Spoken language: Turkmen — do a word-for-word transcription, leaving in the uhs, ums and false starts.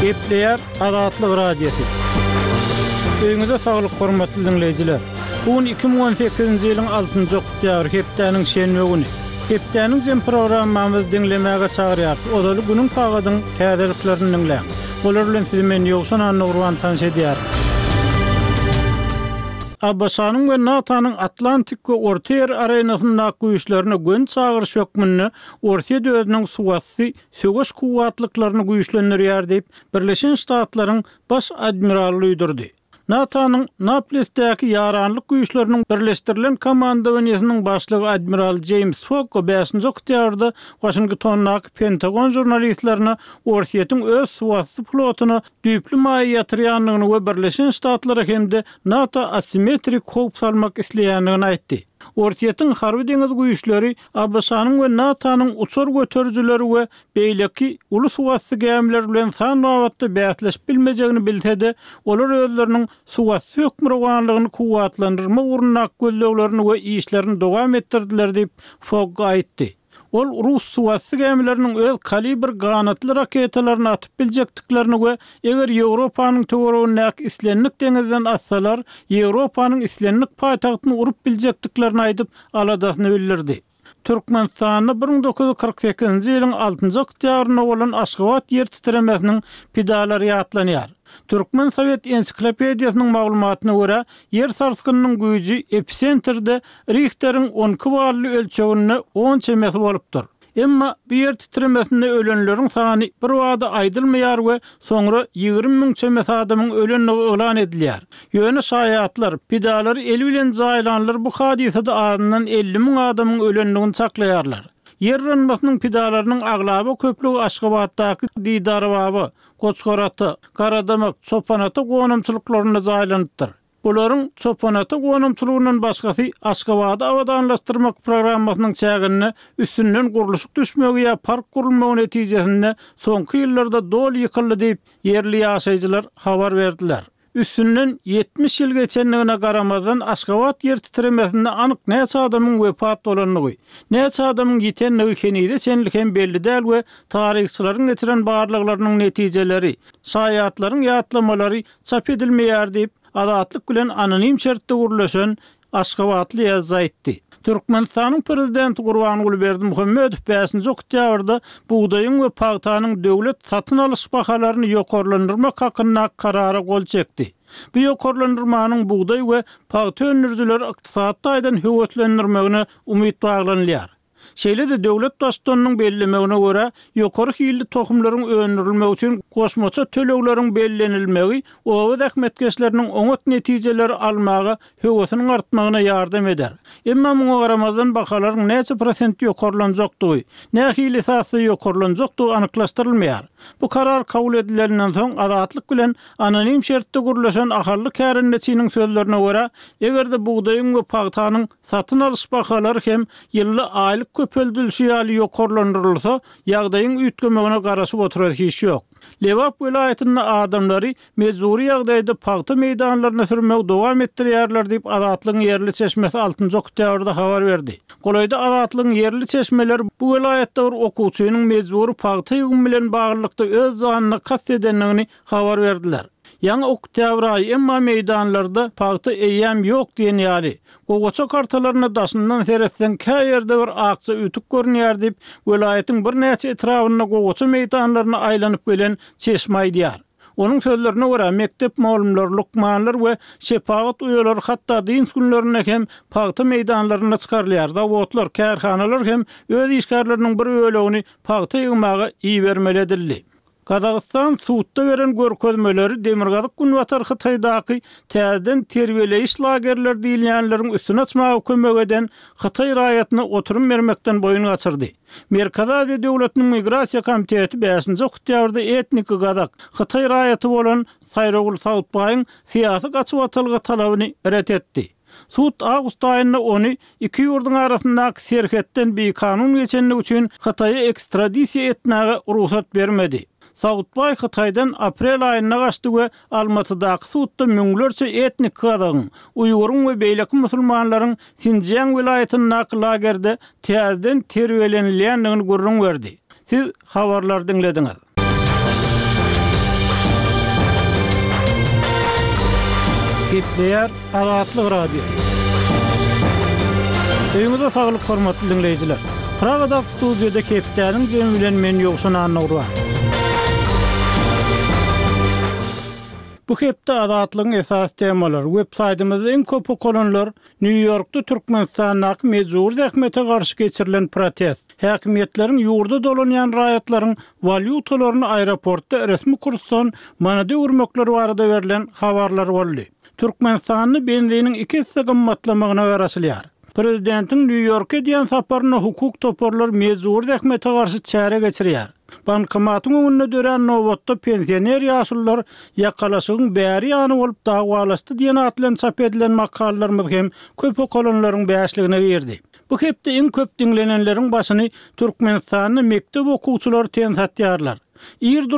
Gepleýär Azatlyk Radiosy. Öýüňize saglyk hormatly diňleýjiler. Bu gün iki müň on sekizinji ýylyň altynjy oktýabry, hepdäniň şenbe güni. Hepdäniň jem programmamyzy diňlemäge çagyrýarys. Ozaly günüň sagadyň täzeliklerini diňläň. Olar bilen sizi men Ýowşan Annagurban tanyş edýärin. ABŞ-nyň we NATO-nyň Atlantik we Ortaýer arenasyndaky güýçlerine göni çagyryş hökmünde Orsýet özüniň suwasty söweş kuwwatlyklaryny güýçlendirýär diýip, Birleşen Ştatlaryň Baş admiraly duýdurdy. NATO-nyň Naplesdäki ýaranlyk güýçleriniň birleşdirilen komandowaniýesiniň başlygy admiral Jeýms Fokko bäşinji oktýabrda Waşingtondaky Pentagon žurnalistlerine Orsýetiň öz suwasty flotuna düýpli maýa ýatyrýandygyny we Birleşen Ştatlara hem-de NATO asimetrik howp salmak isleýändigini aýtdy. Orsýetiň harby-deňiz güýçleri ABŞ-nyň we NATO-nyň uçar göterijileri we beýleki uly suwasty gämiler bilen san babatda bäsleşip bilmejegini bilse-de, olar özleriniň suwasty hökmürowanlygyny kuwwatlandyrmak ugrundaky gözleglerini we işlerini dowam etdirdiler diýip, Fogg aýtdy. Ol rus suwasty gämileriniň öz Kalibr ganatly raketalaryny atyp biljekdiklerini we eger Ýewropanyň töweregindäki islendik deňizden atsalar, Ýewropanyň islendik paýtagtyny urup biljekdiklerini aýdyp, aladasyny bildirdi. Türkmenistanda bir müň dokuz ýüz kyrk sekizinji ýylyň altynjy oktýabrynda bolan Aşgabat ýer titremesiniň pidalary ýatlanýar. Türkmen sowet ensiklopediýasynyň maglumatyna görä, ýer sarsgynynyň güýji episentrde Rihteriň on iki bally ölçeginde on çemesi bolupdyr. Emma bu ýer titremesinde ölenleriň sany birbada aýdylmaýar we soňra ýigrimi müň çemesi adamyň ölendigi yglan edilýär. Ýöne şaýatlar, pidalary eli bilen jaýlanlar bu hadysada azyndan elli müň adamyň ölendigini çaklaýarlar. Ýer yranmasynyň pidalarynyň aglaba köplügi Aşgabatdaky Didarbaba, Goçgarata, Garadamak, Çopanata gonamçylyklarynda jaýlanypdyr. Bularyň Çopanata gonamçylygyndan başgasy Aşgabady abadanlaşdyrmak programmasynyň çäginde üstünden gurluşyk düşmegi ýa park gurulmagy netijesinde soňky ýyllarda doly ýykyldy diýip, ýerli ýaşaýjylar habar berdiler. Üstünden ýetmiş ýyl geçendigine garamazdan Aşgabat ýer titremesinde anyk näçe adamyň wepat bolandygy, näçe adamyň ýitendigi henize çenli hem belli däl we taryhçylaryň geçiren barlaglarynyň netijeleri, şaýatlaryň ýatlamalary çap edilmeýär diýip, Azatlyk bilen anonim şertde gürleşen aşgabatly ýazyjy aýtdy. Türkmenistanyň Prezidenti Gurbanguly Berdimuhamedow bäşinji oktýabrda bugdaýyň we pagtanyň döwlet satyn alyş bahalaryny ýokarlandyrmak hakyndaky karara gol çekdi. Bu ýokarlandyrmanyň bugdaý we pagta öndürijileri ykdysady taýdan höweslendirmegine umyt baglanylýar. Şeýle-de döwlet Baştutanynyň bellemegine görä, ýokary hilli tohumlaryň öndürilmegi üçin goşmaça tölegleriň bellenilmegi oba zähmetkeşleriniň oňat netijeleri almaga höwesiniň artmagyna ýardam eder. Emma muňa garamazdan bahalaryň näçe prosent ýokarlanjakdygy, nähili esasda ýokarlanjakdygy anyklaşdyrylmaýar. Bu karar kabul edileninden soň Azatlyk bilen anonim şertde gürleşen ahally kärendeçiniň sözlerine görä, eger-de bugdaýyň we pagtanyň Satyn alyş bahalary hem ýylda aýlyk köpeldilişi ýaly ýokarlandyrylsa, ýagdaýyň üýtgemegine garaşyp oturar hiç ýok. Lebap welaýatynda adamlary mejbury ýagdaýda pagta meýdanlaryna sürmegi dowam etdirýärler diýip, Azatlygyň ýerli çeşmesi altynjy oktýabrda habar berdi. Golaýda Azatlygyň ýerli çeşmeleri bu welaýatda bir okuwçynyň mejbury pagta ýygymy bilen baglylykda öz janyna kast edendigini habar berdiler. Ýaňy oktýabr aýy, emma meýdanlarda pagta eýýäm ýok diýen ýaly. Gowaça kartalaryna daşyndan seretseň, kä ýerde bir akja ütük görünýär diýip, welaýatyň birnäçe etrabynda gowaça meýdanlaryna aýlanyp gelen çeşme aýdýar. Onuň sözlerine görä, mekdep mugallymlary, lukmanlar we şepagat uýalary hatda dynç günlerinde hem pagta meýdanlaryna çykarylýar, zawodlar, kärhanalar hem öz işgärleriniň bir bölegini pagta ýygmaga ibermeli edildi. Gazagystan sudda beren görkezmeleri Demirgazyk-Günbatar Hytaýdaky täzeden terbiýeleýiş lagerleri diýilýänleriň üstüni açmaga kömek eden hytaý raýatyna oturym bermekden boýun gaçyrdy. Merkezi Aziýa döwletiniň Migrasiýa komiteti bäşinji oktýabrda etniki gazak, hytaý raýaty bolan Saýragul Sautbaýyň syýasy gaçybatalga talabyny ret etdi. Sud awgust aýynda ony iki ýurduň arasyndaky serhetden bikanun geçendigi üçin Hytaýa ekstradisiýa etmäge rugsat bermedi. Sautbaý Hytaýdan aprel aýynda gaçdy we Almatydaky sudda müňlerçe etnik gazagyň, uýguryň we beýleki musulmanlaryň Sinjiang welaýatyndaky lagerde täzeden terbiýelenilýändigini gürrüň berdi. Siz habarlary diňlediňiz. Gepleýär Azatlyk Radiosy. Öýüňize saglyk hormatly diňleýjiler. Pragadaky studiýada hepdäniň jemi bilen men Ýowşan Annagurban. Bu hepde Azatlygyň esasy temalary web saýtymyzda iň köp okalanlar Nýu-Ýorkda Türkmenistandaky mejbur zähmete garşy geçirilen protest, häkimiýetleriň ýurda dolanýan raýatlaryň walýutalaryny aeroportda resmi kursdan manada öwürmekleri barada berlen habarlar boldy. Türkmenistanda benziniň iki esse gymmatlamagyna garaşylýar. Prezidentiň Nýu-Ýorka edýän saparyna hukuk toparlar mejbur zähmete garşy çäre geçirýär. Bankomatyň öňünde dörän nobatda pensioner ýaşulular ýakalaşygyň bäri ýany bolup dawalaşdy diýen at bilen çap edilen makalalarymyz hem köp okalanlaryň bäşligine girdi. Bu hepde iň köp diňlenenleriň başyny Türkmenistanda mekdep okuwçylary ten satýarlar. Ir